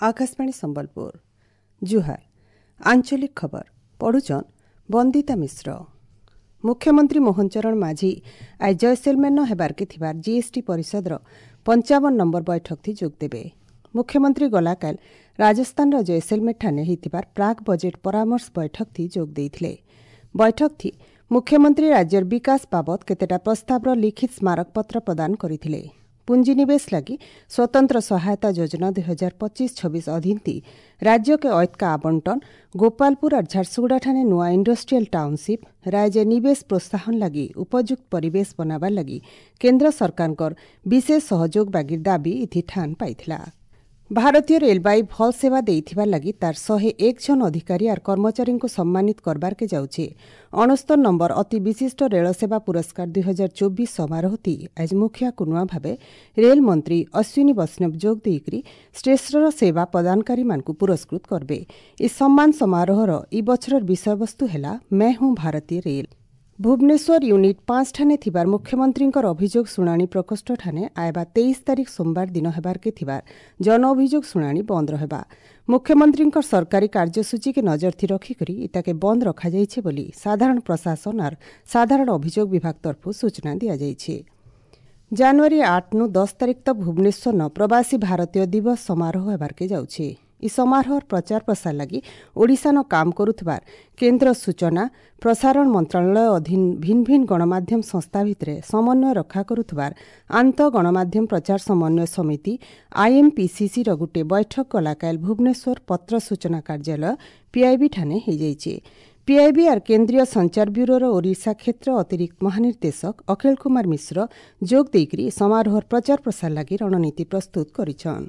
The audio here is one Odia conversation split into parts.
ଆକାଶବାଣୀ ସମ୍ବଲପୁର। ଜୁହାର। ଆଞ୍ଚଳିକ ଖବର ପଢୁଛନ୍ ବନ୍ଦିତା ମିଶ୍ର। ମୁଖ୍ୟମନ୍ତ୍ରୀ ମୋହନ ଚରଣ ମାଝୀ ଆଜି ଜୟସେଲମେର୍ନ ହେବାର୍କେ ଥିବାର ଜିଏସ୍ଟି ପରିଷଦର 55 ନମ୍ବର ବୈଠକଥି ଯୋଗ ଦେବେ। ମୁଖ୍ୟମନ୍ତ୍ରୀ ଗଲାକାଲ ରାଜସ୍ଥାନର ଜୟସେଲମେର୍ଠାରେ ହେଇଥିବାର ପ୍ରାକ୍ ବଜେଟ୍ ପରାମର୍ଶ ବୈଠକଥି ଯୋଗ ଦେଇଥିଲେ। ବୈଠକଥି ମୁଖ୍ୟମନ୍ତ୍ରୀ ରାଜ୍ୟର ବିକାଶ ବାବଦ କେତେଟା ପ୍ରସ୍ତାବର ଲିଖିତ ସ୍ମାରକପତ୍ର ପ୍ରଦାନ କରିଥିଲେ। ପୁଞ୍ଜିନିବେଶ ଲାଗି ସ୍ୱତନ୍ତ୍ର ସହାୟତା ଯୋଜନା 2025-26 ଅଧୀନଥି ରାଜ୍ୟକେ ଐତକା ଆବଣ୍ଟନ, ଗୋପାଳପୁର ଆର୍ ଝାରସୁଗୁଡ଼ାଠାନେ ନୂଆ ଇଣ୍ଡଷ୍ଟ୍ରିଆଲ ଟାଉନସିପ୍, ରାଜ୍ୟ ନିବେଶ ପ୍ରୋତ୍ସାହନ ଲାଗି ଉପଯୁକ୍ତ ପରିବେଶ ବନାବାର ଲାଗି କେନ୍ଦ୍ର ସରକାରଙ୍କର ବିଶେଷ ସହଯୋଗ ବାଗିର ଦାବି ଇଥି ଠାନ ପାଇଥିଲା। ଭାରତୀୟ ରେଳବାଇ ଭଲ୍ ସେବା ଦେଇଥିବାର ଲାଗି ତାର 101 ଜଣ ଅଧିକାରୀ ଆର୍ କର୍ମଚାରୀଙ୍କୁ ସମ୍ମାନିତ କରବାର୍କେ ଯାଉଛେ। 69 ନମ୍ବର ଅତି ବିଶିଷ୍ଟ ରେଳସେବା ପୁରସ୍କାର 2024 ସମାରୋହଥି ଆଜି ମୁଖିଆ କୁନୁଆ ଭାବେ ରେଳ ମନ୍ତ୍ରୀ ଅଶ୍ୱିନୀ ବୈଷ୍ଣବ ଯୋଗ ଦେଇକରି ଶ୍ରେଷ୍ଠ ସେବା ପ୍ରଦାନକାରୀମାନଙ୍କୁ ପୁରସ୍କୃତ କରବେ। ଏ ସମ୍ମାନ ସମାରୋହର ଇ ବଛରର ବିଷୟବସ୍ତୁ ହେଲା ମେଁ ହୁଁ ଭାରତୀୟ ରେଲ। ଭୁବନେଶ୍ୱର ୟୁନିଟ୍ 5 ଠାନେ ଥିବାର ମୁଖ୍ୟମନ୍ତ୍ରୀଙ୍କର ଅଭିଯୋଗ ଶୁଣାଣି ପ୍ରକୋଷ୍ଠଠାନେ ଆଇବା 23 ତାରିଖ ସୋମବାର ଦିନ ହେବାର୍କେ ଥିବାର ଜନ ଅଭିଯୋଗ ଶୁଣାଣି ବନ୍ଦ ରହେବା। ମୁଖ୍ୟମନ୍ତ୍ରୀଙ୍କର ସରକାରୀ କାର୍ଯ୍ୟସୂଚୀକେ ନଜରଥି ରଖିକରି ଇତାକେ ବନ୍ଦ ରଖାଯାଇଛି ବୋଲି ସାଧାରଣ ପ୍ରଶାସନ ଆର୍ ସାଧାରଣ ଅଭିଯୋଗ ବିଭାଗ ତରଫରୁ ସୂଚନା ଦିଆଯାଇଛି। ଜାନୁଆରୀ 8ନୁ 10 ତାରିଖ ତକ୍ ଭୁବନେଶ୍ୱରନ ପ୍ରବାସୀ ଭାରତୀୟ ଦିବସ ସମାରୋହ ହେବାର୍କେ ଯାଉଛି। ଇ ସମାରୋହର ପ୍ରଚାର ପ୍ରସାର ଲାଗି ଓଡ଼ିଶାନ କାମ କରୁଥିବାର କେନ୍ଦ୍ର ସୂଚନା ପ୍ରସାରଣ ମନ୍ତ୍ରଣାଳୟ ଅଧୀନ ଭିନ୍ନ ଭିନ୍ନ ଗଣମାଧ୍ୟମ ସଂସ୍ଥା ଭିତରେ ସମନ୍ୱୟ ରକ୍ଷା କରୁଥିବାର ଆନ୍ତଃ ଗଣମାଧ୍ୟମ ପ୍ରଚାର ସମନ୍ୱୟ ସମିତି ଆଇଏମ୍ପିସିସିର ଗୋଟିଏ ବୈଠକ ଗଲାକାଲ ଭୁବନେଶ୍ୱର ପତ୍ର ସୂଚନା କାର୍ଯ୍ୟାଳୟ ପିଆଇବି ଠାନେ ହୋଇଯାଇଛି। ପିଆଇବି ଆର୍ କେନ୍ଦ୍ରୀୟ ସଞ୍ଚାର ବ୍ୟୁରୋର ଓଡ଼ିଶା କ୍ଷେତ୍ର ଅତିରିକ୍ତ ମହାନିର୍ଦ୍ଦେଶକ ଅଖିଳ କୁମାର ମିଶ୍ର ଯୋଗ ଦେଇକରି ସମାରୋହର ପ୍ରଚାର ପ୍ରସାର ଲାଗି ରଣନୀତି ପ୍ରସ୍ତୁତ କରିଛନ୍।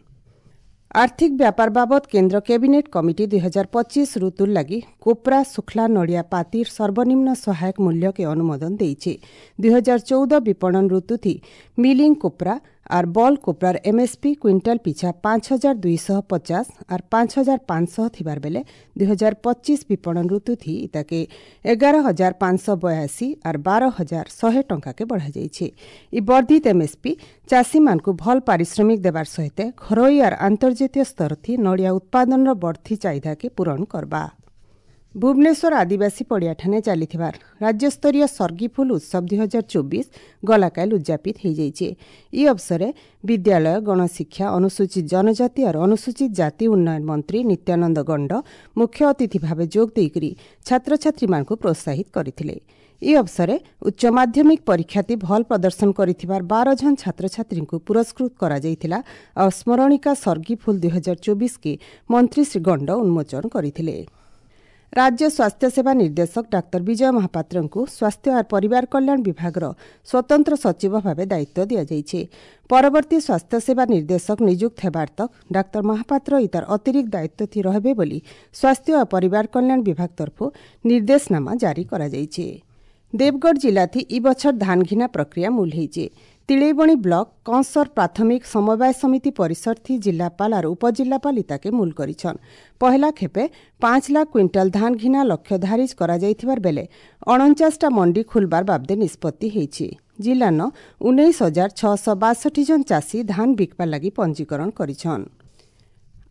ଆର୍ଥିକ ବ୍ୟାପାର ବାବଦ କେନ୍ଦ୍ର କ୍ୟାବିନେଟ୍ କମିଟି 2025 ଋତୁର ଲାଗି କୋପ୍ରା, ଶୁଖଲା ନଡ଼ିଆ ପାତିର ସର୍ବନିମ୍ନ ସହାୟକ ମୂଲ୍ୟକେ ଅନୁମୋଦନ ଦେଇছে। 2014 ବିପଣନ ଋତୁଥି ମିଲିଂ କୋପ୍ରା ଆର୍ ବଲ୍ କୋପ୍ରାର ଏମ୍ଏସ୍ପି କ୍ୱିଣ୍ଟାଲ ପିଛା 5250 ଆର୍ 5500 ଥିବାର ବେଲେ 2025 ବିପଣନ ଋତୁଥି ଇତାକେ 11,582 ଆର୍ 12,100 ଟଙ୍କାକେ ବଢ଼ାଯାଇଛି। ଇ ବର୍ଦ୍ଧିତ ଏମ୍ଏସ୍ପି ଚାଷୀମାନଙ୍କୁ ଭଲ୍ ପାରିଶ୍ରମିକ ଦେବାର ସହିତ ଘରୋଇ ଆର୍ ଆନ୍ତର୍ଜାତୀୟ ସ୍ତରଥି ନଡ଼ିଆ ଉତ୍ପାଦନର ବଢ଼ତି ଚାହିଦାକେ ପୂରଣ କରବା। ଭୁବନେଶ୍ୱର ଆଦିବାସୀ ପଡ଼ିଆଠାନେ ଚାଲିଥିବାର ରାଜ୍ୟସ୍ତରୀୟ ସର୍ଗିଫୁଲ ଉତ୍ସବ 2024 ଗଲାକାଲ ଉଦ୍ଯାପିତ ହୋଇଯାଇଛି। ଇ ଅବସରେ ବିଦ୍ୟାଳୟ, ଗଣଶିକ୍ଷା, ଅନୁସୂଚିତ ଜନଜାତି ଆର୍ ଅନୁସୂଚିତ ଜାତି ଉନ୍ନୟନ ମନ୍ତ୍ରୀ ନିତ୍ୟାନନ୍ଦ ଗଣ୍ଡ ମୁଖ୍ୟ ଅତିଥି ଭାବେ ଯୋଗ ଦେଇକରି ଛାତ୍ରଛାତ୍ରୀମାନଙ୍କୁ ପ୍ରୋତ୍ସାହିତ କରିଥିଲେ। ଇ ଅବସରେ ଉଚ୍ଚ ମାଧ୍ୟମିକ ପରୀକ୍ଷାତି ଭଲ୍ ପ୍ରଦର୍ଶନ କରିଥିବାର 12 ଜଣ ଛାତ୍ରଛାତ୍ରୀଙ୍କୁ ପୁରସ୍କୃତ କରାଯାଇଥିଲା ଆଉ ସ୍ମରଣିକା ସର୍ଗିଫୁଲ 2024କେ ମନ୍ତ୍ରୀ ଶ୍ରୀ ଗଣ୍ଡ ଉନ୍ମୋଚନ କରିଥିଲେ। ରାଜ୍ୟ ସ୍ୱାସ୍ଥ୍ୟସେବା ନିର୍ଦ୍ଦେଶକ ଡାକ୍ତର ବିଜୟ ମହାପାତ୍ରଙ୍କୁ ସ୍ୱାସ୍ଥ୍ୟ ଆର୍ ପରିବାର କଲ୍ୟାଣ ବିଭାଗର ସ୍ୱତନ୍ତ୍ର ସଚିବ ଭାବେ ଦାୟିତ୍ୱ ଦିଆଯାଇଛି। ପରବର୍ତ୍ତୀ ସ୍ୱାସ୍ଥ୍ୟସେବା ନିର୍ଦ୍ଦେଶକ ନିଯୁକ୍ତ ହେବାର ତକ୍ ଡାକ୍ତର ମହାପାତ୍ର ଇତାର ଅତିରିକ୍ତ ଦାୟିତ୍ୱ ରହିବେ ବୋଲି ସ୍ୱାସ୍ଥ୍ୟ ଓ ପରିବାର କଲ୍ୟାଣ ବିଭାଗ ତରଫରୁ ନିର୍ଦ୍ଦେଶନାମା ଜାରି କରାଯାଇଛି। ଦେବଗଡ଼ ଜିଲ୍ଲାଥି ଇ ବଛର ଧାନ ଘିନା ପ୍ରକ୍ରିୟା ମୂଲ ହେଇଛି। ତିଳେଇବଣି ବ୍ଲକ କଂସର ପ୍ରାଥମିକ ସମବାୟ ସମିତି ପରିସରଥି ଜିଲ୍ଲାପାଳ ଆର୍ ଉପଜିଲ୍ଲାପାଳ ଇତାକେ ମୂଲ କରିଛନ୍। ପହେଲା ଖେପେ 5 ଲାଖ କ୍ୱିଣ୍ଟାଲ ଧାନ ଘିନା ଲକ୍ଷ୍ୟ ଧାରିଜ କରାଯାଇଥିବାର ବେଲେ 49ଟା ମଣ୍ଡି ଖୁଲବାର ବାବଦେ ନିଷ୍ପତ୍ତି ହେଇଛି। ଜିଲ୍ଲାନ 19,662 ଜଣ ଚାଷୀ ଧାନ ବିକବାର ଲାଗି ପଞ୍ଜୀକରଣ କରିଛନ୍।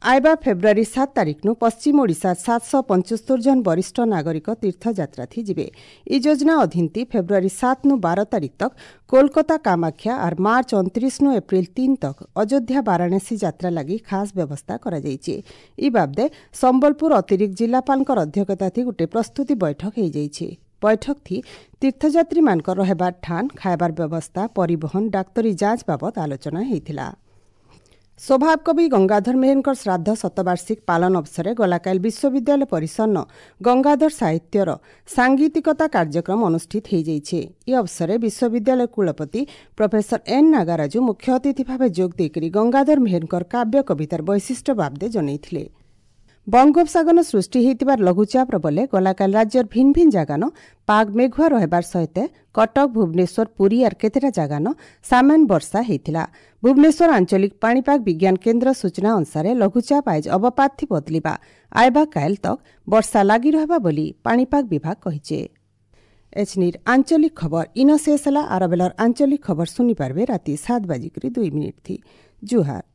ଆଇବା ଫେବୃଆରୀ 7 ତାରିଖନୁ ପଶ୍ଚିମ ଓଡ଼ିଶା 775 ଜଣ ବରିଷ୍ଠ ନାଗରିକ ତୀର୍ଥଯାତ୍ରାଥି ଯିବେ। ଇ ଯୋଜନା ଅଧୀନତି ଫେବୃଆରୀ 7ନୁ 12 ତାରିଖ ତକ୍ କୋଲକାତା କାମାକ୍ଷା ଆର୍ ମାର୍ଚ୍ଚ 29ନୁ ଏପ୍ରିଲ 3 ତକ୍ ଅଯୋଧ୍ୟା ବାରାଣସୀ ଯାତ୍ରା ଲାଗି ଖାସ୍ ବ୍ୟବସ୍ଥା କରାଯାଇଛି। ଇ ବାବଦେ ସମ୍ବଲପୁର ଅତିରିକ୍ତ ଜିଲ୍ଲାପାଳଙ୍କର ଅଧ୍ୟକ୍ଷତାଥି ଗୋଟିଏ ପ୍ରସ୍ତୁତି ବୈଠକ ହୋଇଯାଇଛି। ବୈଠକଥି ତୀର୍ଥଯାତ୍ରୀମାନଙ୍କର ରହିବାର ଠାନ୍, ଖାଇବାର ବ୍ୟବସ୍ଥା, ପରିବହନ, ଡାକ୍ତରୀ ଯାଞ୍ଚ ବାବଦ ଆଲୋଚନା ହୋଇଥିଲା। ସ୍ୱଭାବ କବି ଗଙ୍ଗାଧର ମେହେରଙ୍କର ଶ୍ରାଦ୍ଧ ଶତବାର୍ଷିକ ପାଳନ ଅବସରରେ ଗଲାକାଲ ବିଶ୍ୱବିଦ୍ୟାଳୟ ପରିସରନ ଗଙ୍ଗାଧର ସାହିତ୍ୟର ସାଙ୍ଗୀତିକତା କାର୍ଯ୍ୟକ୍ରମ ଅନୁଷ୍ଠିତ ହୋଇଯାଇଛି। ଏ ଅବସରରେ ବିଶ୍ୱବିଦ୍ୟାଳୟ କୁଳପତି ପ୍ରଫେସର ଏନ୍ ନାଗାରାଜୁ ମୁଖ୍ୟ ଅତିଥି ଭାବେ ଯୋଗ ଦେଇକରି ଗଙ୍ଗାଧର ମେହେରଙ୍କର କାବ୍ୟ କବିତାର ବୈଶିଷ୍ଟ୍ୟ ବାବଦେ ଜଣାଇଥିଲେ। ବଙ୍ଗୋପସାଗର ସୃଷ୍ଟି ହୋଇଥିବାର ଲଘୁଚାପର ବଲେ ଗଲାକାଲ ରାଜ୍ୟର ଭିନ୍ନ ଭିନ୍ନ ଜାଗାନ ପାଗ ମେଘୁଆ ରହିବାର ସହିତ କଟକ, ଭୁବନେଶ୍ୱର, ପୁରୀ ଆର୍ କେତେଟା ଜାଗାନ ସାମାନ୍ୟ ବର୍ଷା ହୋଇଥିଲା। ଭୁବନେଶ୍ୱର ଆଞ୍ଚଳିକ ପାଣିପାଗ ବିଜ୍ଞାନ କେନ୍ଦ୍ର ସୂଚନା ଅନୁସାରେ ଲଘୁଚାପ ଆଇଜ ଅବପାତଥି ବଦଳିବା ଆଇବା କାଏଲ ତକ୍ ବର୍ଷା ଲାଗି ରହିବା ବୋଲି ପାଣିପାଗ ବିଭାଗ କହିছে। ଏଛନିର ଆଞ୍ଚଳିକ ଖବର ଇନ ଶେଷ ହେଲା। ଆର ବେଲର ଆଞ୍ଚଳିକ ଖବର ଶୁଣିପାରିବେ ରାତି 7:02 ଥି। ଜୁହାର।